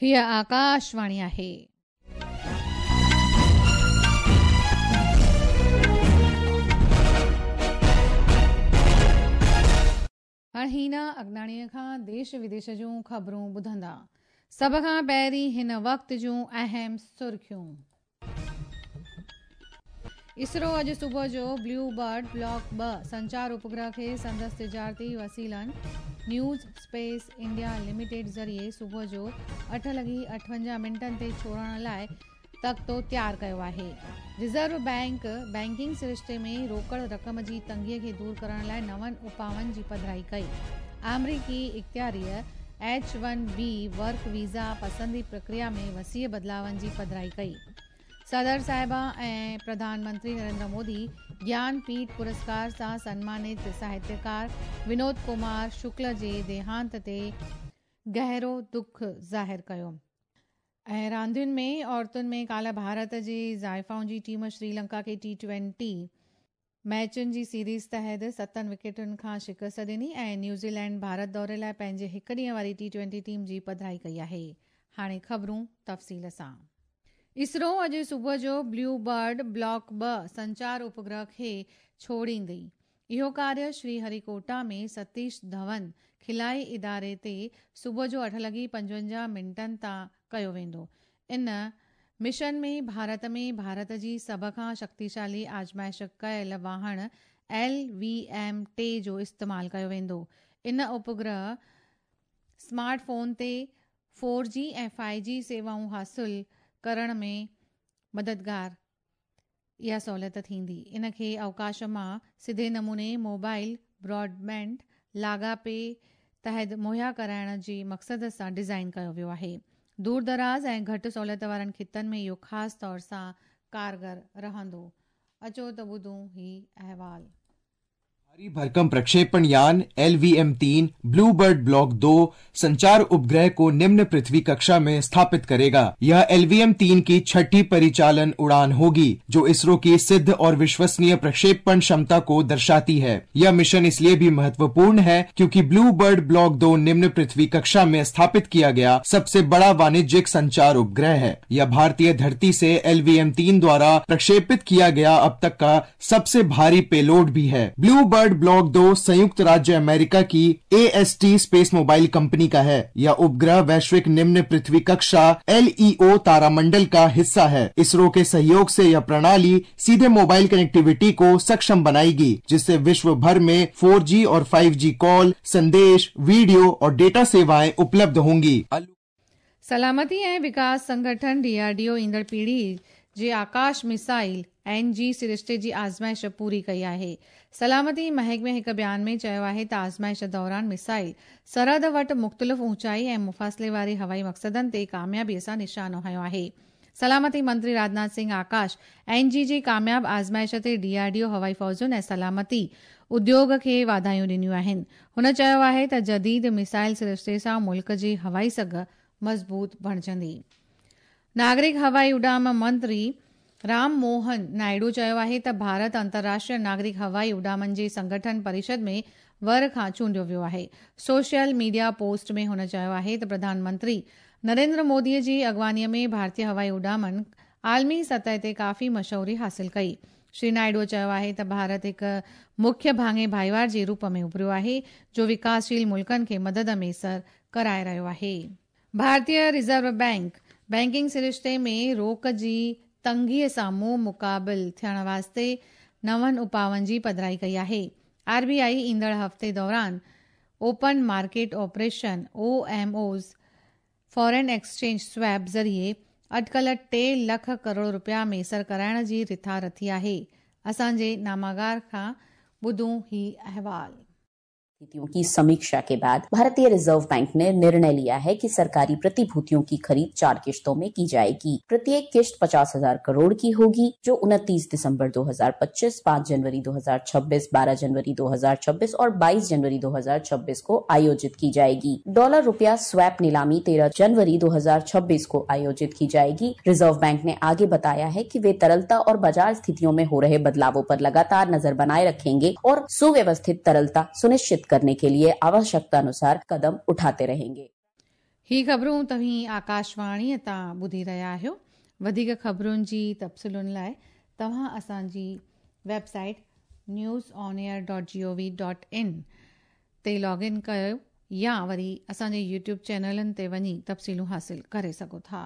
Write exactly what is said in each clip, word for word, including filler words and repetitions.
हीअ आकाशवाणी आहे। हाणे हीना अगनाणीअ खां देश विदेश जूं ख़बरूं ॿुधंदा। सभ खां पहिरीं हिन वक़्त जूं अहम सुर्खियूं। इसरो अॼु सुबुह जो ब्लू बर्ड ब्लॉक ॿ संचार उपग्रह खे संदसि तिजारती वसीलनि न्यूज़ स्पेस इंडिया लिमिटेड ज़रिए सुबुह जो अठ लॻी अठवंजाह मिंटनि ते छोड़ण लाइ तख़्तो तयारु कयो आहे। रिज़र्व बैंक बैंकिंग सरिश्ते में रोकड़ रक़म जी तंगीअ खे दूर करण लाइ नवनि उपाउनि जी पधराई कई। आमेरिकी इख़्तियारीअ H one B work visa पसंदी प्रक्रिया में वसीअ बदिलावनि जी पधराई कई। सदर साहिबा ऐं प्रधानमंत्री नरेंद्र मोदी ज्ञानपीठ पुरस्कार सां सम्मानित साहित्यकार विनोद कुमार शुक्ल जे देहांत ते गहिरो दुख ज़ाहिर कयो। ऐं रांदियुनि में औरतुनि में काल्ह भारत जी ज़ाइफ़ाउनि जी टीम श्रीलंका खे टी ट्वेंटी मैचुनि जी सीरीज़ तहत सतनि विकेटुनि खां शिकस्त ॾिनी ऐं न्यूज़ीलैंड भारत दौरे लाइ पंहिंजे हिकु ॾींहं वारी टी ट्वेंटी टीम जी पधराई कई आहे। हाणे ख़बरूं तफ़सील सां। इसरो अॼु सुबुह जो ब्लू बर्ड ब्लॉक ॿ संचार उपग्रह खे छोड़ींदी। इहो कार्य श्रीहरिकोटा में सतीश धवन खिलाई इदारे ते सुबुह जो अठ लॻी पंजवंजाह मिंटनि तां कयो वेंदो। इन मिशन में भारत में भारत जी सभ खां शक्तिशाली आज़माइश कयल वाहण एल वी एम टे जो इस्तेमालु कयो वेंदो। इन उपग्रह स्मार्टफोन ते फोर जी ऐं फाइव जी सेवाऊं हासिल करण में मददगार इहा सहूलियत थींदी। इन खे अवकाश मां सिधे नमूने मोबाइल ब्रॉडबैंड लाॻापे तहत मुहैया कराइण जे मक़सद सां डिज़ाइन कयो वियो आहे। दूर दराज़ ऐं घटि सहूलियत वारनि ख़ितनि में इहो ख़ासि तौर सां कारगर रहंदो। अचो त ॿुधूं ही अहवाल। भारी भरकम प्रक्षेपण यान एल वी एम तीन ब्लू बर्ड ब्लॉक दो संचार उपग्रह को निम्न पृथ्वी कक्षा में स्थापित करेगा। यह एल वी एम तीन की छठी परिचालन उड़ान होगी, जो इसरो की सिद्ध और विश्वसनीय प्रक्षेपण क्षमता को दर्शाती है। यह मिशन इसलिए भी महत्वपूर्ण है क्योंकि ब्लू बर्ड ब्लॉक दो निम्न पृथ्वी कक्षा में स्थापित किया गया सबसे बड़ा वाणिज्यिक संचार उपग्रह है। यह भारतीय धरती से एल वी एम तीन द्वारा प्रक्षेपित किया गया अब तक का सबसे भारी पेलोड भी है। ब्लू बर्ड ब्लॉक दो संयुक्त राज्य अमेरिका की A S T space mobile company का है। यह उपग्रह वैश्विक निम्न पृथ्वी कक्षा एल ई ओ तारामंडल का हिस्सा है। इसरो के सहयोग से यह प्रणाली सीधे मोबाइल कनेक्टिविटी को सक्षम बनाएगी, जिससे विश्व भर में फोर जी और फाइव जी कॉल, संदेश, वीडियो और डेटा सेवाएं उपलब्ध होंगी। सलामती ऐं विकास संगठन डी आर डी ओ ईंदड़ पीढ़ी जे आकाश मिसाइल एन जी सरिश्ते जी आज़माइश पूरी कई आहे। सलामती महकमे हिकु बयान में चयो आहे त आज़माइश दौरान मिसाइल सरहद वटि मुख़्तलिफ़ ऊंचाई ऐं मुफ़ासिले वारे हवाई मक़सदनि ते कामयाबीअ सां निशानो हयो आहे। सलामती मंत्री राजनाथ सिंह आकाश एन जी जी कामयाब आज़माइश ते डी आर डी ओ हवाई फ़ौजुनि ऐं सलामती उद्योग खे वाधायूं ॾिनियूं आहिनि। हुन चयो आहे त जदीद मिसाइल सरिश्ते सां मुल्क जी हवाई सघ मज़बूत बणिजंदी। नागरिक हवाई उॾाम मंत्री राम मोहन नायडू चयो आहे त भारत अंतर्राष्ट्रीय नागरिक हवाई उॾामनि जे संगठन परिषद में वर खां चूंडियो वियो आहे। सोशल मीडिया पोस्ट में हुन चयो आहे त प्रधानमंत्री नरेंद्र मोदीअ जी अॻवानीअ में भारतीय हवाई उॾामनि आलमी सतह ते काफ़ी मशहूरी हासिल कई। श्री नायडू चयो आहे त भारत हिकु मुख्य भाङे भाईवार जे रूप में उभरियो आहे, जो विकासशील मुल्कनि खे मदद में सर कराए रहियो आहे। भारतीय रिज़र्व बैंक बैंकिंग सरिश्ते में रोक जी तंगीअ सां मुंहुं मुक़ाबिल थियण वास्ते नवनि उपाउनि जी पधराई कई आहे। आर बी I ईंदड़ हफ़्ते दौरान open market operation O M Os foreign exchange swap ज़रिए अटकल टे लख करोड़ रुपया मैसर कराइण जी रिथा रथी आहे। असांजे नामागार खां ॿुधूं ही अहवाल। स्थितियों की समीक्षा के बाद भारतीय रिजर्व बैंक ने निर्णय लिया है कि सरकारी प्रतिभूतियों की खरीद चार किश्तों में की जाएगी। प्रत्येक किश्त पचास हजार करोड़ की होगी, जो उनतीस दिसंबर दो हजार पच्चीस, पाँच जनवरी दो हजार छब्बीस, बारह जनवरी दो हजार छब्बीस और बाईस जनवरी दो हजार छब्बीस को आयोजित की जाएगी। डॉलर रुपया स्वैप नीलामी तेरह जनवरी दो हजार छब्बीस को आयोजित की जाएगी। रिजर्व बैंक ने आगे बताया है कि वे तरलता और बाजार स्थितियों में हो रहे बदलावों पर लगातार नजर बनाए रखेंगे और सुव्यवस्थित तरलता सुनिश्चित करने के लिए आवश्यकता अनुसार कदम उठाते रहेंगे। ही ख़बरूं तव्हीं आकाशवाणीअ तां ॿुधी रहिया आहियो। वधीक ख़बरुनि जी तफ़सीलुनि लाइ तव्हां असांजी website news on air dot G O V dot in ते लॉग इन कयो या वरी असांजे यूट्यूब चैनलनि ते वञी तफ़सीलूं हासिल करे सघो था।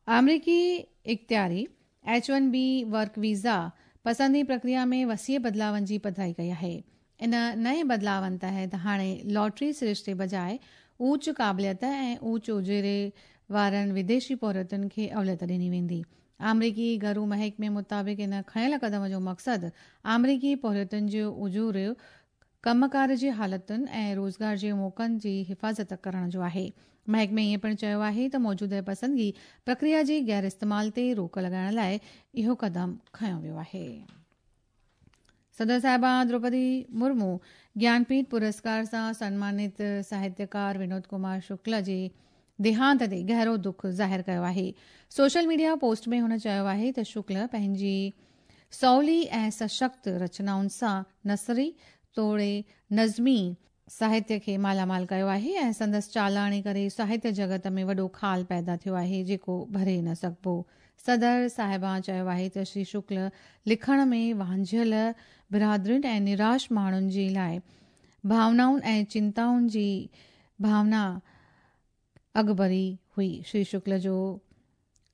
आमेरिकी इख़्तियारी H one B work visa पसंदी प्रक्रिया में वसीअ बदिलावनि जी पधराई कई आहे। इन नए बदिलावनि तहत हाणे लॉटरी सरिश्ते बजाए ऊच क़ाबिलियत ऐं ऊच उजेरे वारनि विदेशी पोरियतुनि खे अवलियत ॾिनी वेंदी। आमेरिकी घरू महकमे मुताबिक़ इन खयियल क़दम जो मक़सदु आमेरिकी पोरियतुनि जो उजूर कमकार जी हालतुनि ऐं रोज़गार जे मौक़नि जी हिफ़ाज़त करण जो आहे। महकमे ईअं पिणु चयो आहे त मौजूदा पसंदगी प्रक्रिया जे गैर इस्तेमाल ते रोक लॻाइण लाइ इहो क़दम खयो वियो आहे। सदर साहिबा द्रौपदी मुर्मू ज्ञानपीठ पुरस्कार सां सम्मानित साहित्यकार विनोद कुमार शुक्ल जे देहांत ते गहरो दुख ज़ाहिर कयो आहे। सोशल मीडिया पोस्ट में हुन चयो आहे त शुक्ल पंहिंजी सवली ऐं सशक्त रचनाउनि सां नसरी तोड़े नज़मी साहित्य खे मालामाल कयो आहे ऐं संदसि चालाणे करे साहित्य जगत में वॾो खाल पैदा थियो आहे जेको भरे न सघिबो। सदर साहिबा चयो आहे त श्री शुक्ल लिखण में वांझियल बिरादरियुनि ऐं निराश माण्हुनि जे लाइ भावनाउनि ऐं चिंताउनि जी भावना अॻुभरी हुई। श्री शुक्ल जो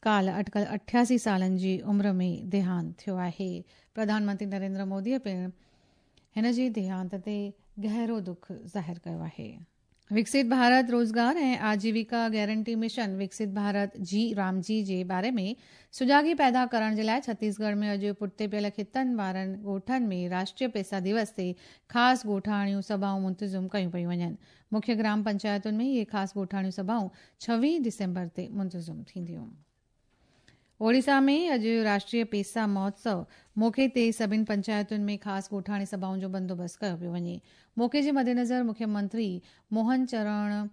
काल अटकल अठासी सालनि जी उम्र में देहांत थियो आहे। प्रधानमंत्री नरेंद्र मोदीअ पिणु हिन जे देहांत ते गहरो दुख ज़ाहिर कयो आहे। विकसित भारत रोज़गार ऐं आजीविका गारंटी मिशन विकसित भारत जी रामजी जे बारे में सुजागी पैदा करण जे लाइ छत्तीसगढ़ में अॼु पुठिते पियल ख़ितनि वारनि ॻोठनि में राष्ट्रीय पैसा दिवस ते ख़ासि ॻोठाणियूं सभाऊं मुंतज़िम कयूं पयूं वञनि। मुख्य ग्राम पंचायतुनि में इहे ख़ासि ॻोठाणियूं सभाऊं छवीह डिसेंबर ते मुंतज़िम थींदियूं। ओडिशा में अॼु राष्ट्रीय पेसा महोत्सव मौक़े ते सभिनी पंचायतुनि में ख़ासि ॻोठाणी सभाउनि जो बंदोबस्तु कयो पियो वञे। मौक़े जे मद्देनज़र मुख्यमंत्री मोहन चरण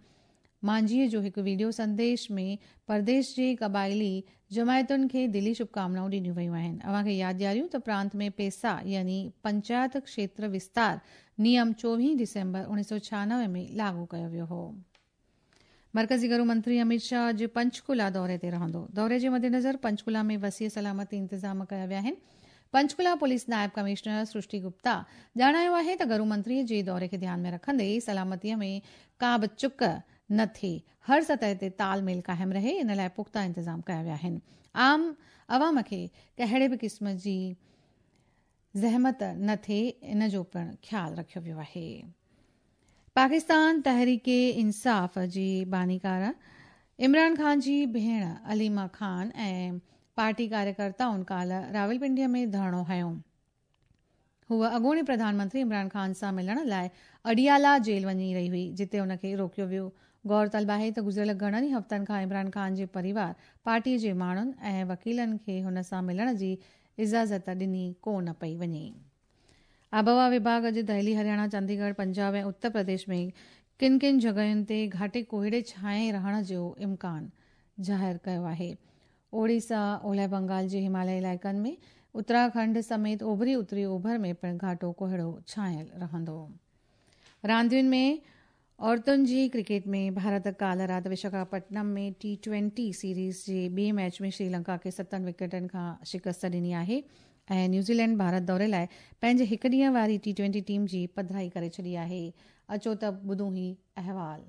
मांझीअ जो हिकु वीडियो संदेश में परदेश जे क़बाइली जमायतुनि खे दिली शुभकामनाऊं ॾिनियूं वयूं आहिनि। अव्हांखे यादि ॾियारियूं त प्रांत में पेसा यानी पंचायत क्षेत्र विस्तार नियम चोवीह डिसेंबर उणिवीह सौ छियानवे में लागू कयो वियो हो। मरकज़ी घरू मंत्री अमित शाह अॼु पंचकुला दौरे ते रहंदो। दौरे जे मद्देनज़र पंचकुला में वसीअ सलामती इंतज़ाम कया विया आहिनि। पंचकुला पुलिस नायब कमिश्नर सृष्टि गुप्ता ॼाणायो आहे त घरू मंत्रीअ जे दौरे खे ध्यान में रखंदे सलामतीअ में का बि चुक न थिए, हर सतह ते तालमेल क़ाइमु रहे, इन लाइ पुख़्ता इंतज़ाम कया विया आहिनि। आम अवाम खे कहिड़े बि क़िस्म जी ज़हमत न थिए, इन जो पिणु ख़्यालु रखियो वियो आहे। पाकिस्तान तहरीक इंसाफ़ जी बानीकार इमरान ख़ान जी भेण अलीमा ख़ान ऐं पार्टी कार्यकर्ताउनि काल्ह रावलपिंडीअ में धरणो हयो। हूअ अॻूणे प्रधानमंत्री इमरान ख़ान सां मिलण लाइ अडियाला जेल वञी रही हुई, जिते हुनखे रोकियो वियो। गौर तलब आहे त गुज़िरियल घणनि ई हफ़्तनि खां इमरान ख़ान जे परिवार पार्टी जे माण्हुनि ऐं वकीलनि खे हुन सां मिलण जी इजाज़त ॾिनी कोन पई वञे। आबहवा विभाग अॼु दिल्ली, हरियाणा, चंडीगढ़, पंजाब ऐं उत्तर प्रदेश में किन किन जॻहियुनि ते घाटे कोहिड़े छाए रहण जो इम्कान ज़ाहिर कयो आहे। ओडिशा, ओलह बंगाल जे हिमालयी इलाइक़नि में, उत्तराखंड समेत ओभरी उत्तरी ओभर में पिणु घाटो कोहिड़ो छायल रहंदो। रांदियुनि में औरतुनि जी क्रिकेट में भारत काल्ह राति विशाखापट्टनम में टी ट्वेंटी सीरीज़ जे ॿिए मैच में श्रीलंका खे सतनि विकेटनि खां शिकस्त ॾिनी आहे ऐं न्यूज़ीलैंड भारत दौरे लाइ पंहिंजे हिकु ॾींहं वारी टी ट्वेंटी टीम जी पधराई करे छॾी आहे। अचो त ॿुधूं ही अहवाल।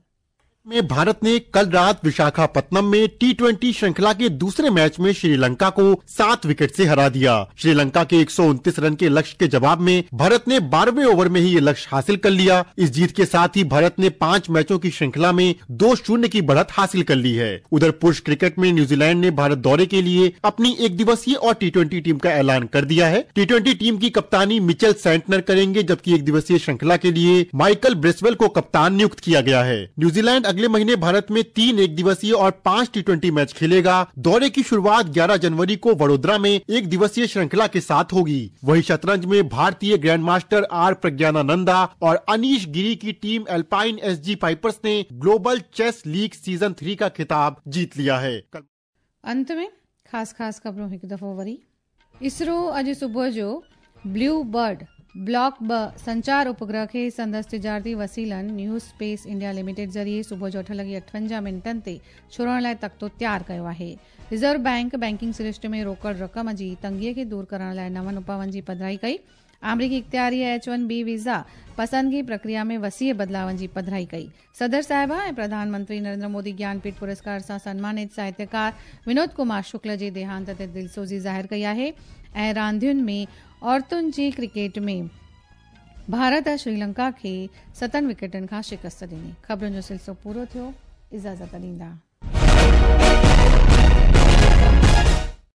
में भारत ने कल रात विशाखापत्तनम में टी ट्वेंटी श्रृंखला के दूसरे मैच में श्रीलंका को सात विकेट से हरा दिया। श्रीलंका के एक सौ उनतीस रन के लक्ष्य के जवाब में भारत ने बारहवें ओवर में ही ये लक्ष्य हासिल कर लिया। इस जीत के साथ ही भारत ने पांच मैचों की श्रृंखला में दो शून्य की बढ़त हासिल कर ली है। उधर पुरुष क्रिकेट में न्यूजीलैंड ने भारत दौरे के लिए अपनी एक दिवसीय और टी ट्वेंटी टीम का ऐलान कर दिया है। टी ट्वेंटी टीम की कप्तानी मिचेल सेंटनर करेंगे, जबकि एक दिवसीय श्रृंखला के लिए माइकल ब्रेसवेल को कप्तान नियुक्त किया गया है। न्यूजीलैंड अगले महीने भारत में तीन एक दिवसीय और पांच टी ट्वेंटी मैच खेलेगा। दौरे की शुरुआत ग्यारह जनवरी को वडोदरा में एक दिवसीय श्रृंखला के साथ होगी। वहीं शतरंज में भारतीय ग्रैंड मास्टर are Praggnanandhaa और अनीश गिरी की team alpine S G Pipers ने global chess league season three का खिताब जीत लिया है। अंत में खास खास खबरों एक दफो वरी। इसरो अॼु सुबुह जो ब्लू बर्ड بلاڪ ٻه سنچار اپگرهه کي سندس تجارتي وسيلن نيو اسپيس انڊيا لميٽيڊ ذريعي صبح جو اٺ لڳي اٺونجاهه منٽن تي ڇوڙڻ لاءِ تختو تيار ڪيو آهي. رزرو بينڪ بينڪنگ سرشتي ۾ روڪڙ رقم جي تنگي کي دور ڪرڻ لاءِ نون اپائن جي پڌرائي ڪئي. آمريڪي اختياريءَ ايڇ ون بي ويزا پسندگي پرڪريا ۾ وسيع بدلاون جي پڌرائي ڪئي. صدر صاحبه ۽ پرڌان منتري نريندر مودي گيانپيٺ پرسڪار سان سنمانت ساهتيڪار ونود ڪمار شڪل جي ديهانت تي دلسوزي ظاهر ڪئي آهي. ۽ راندين ۾ عورتن جي ڪرڪيٽ ۾ ڀارت شريلنڪا کي ستن وڪيٽن کان شڪست ڏني. خبرن جو سلسلو پورو ٿيو. اجازت ڏيندا.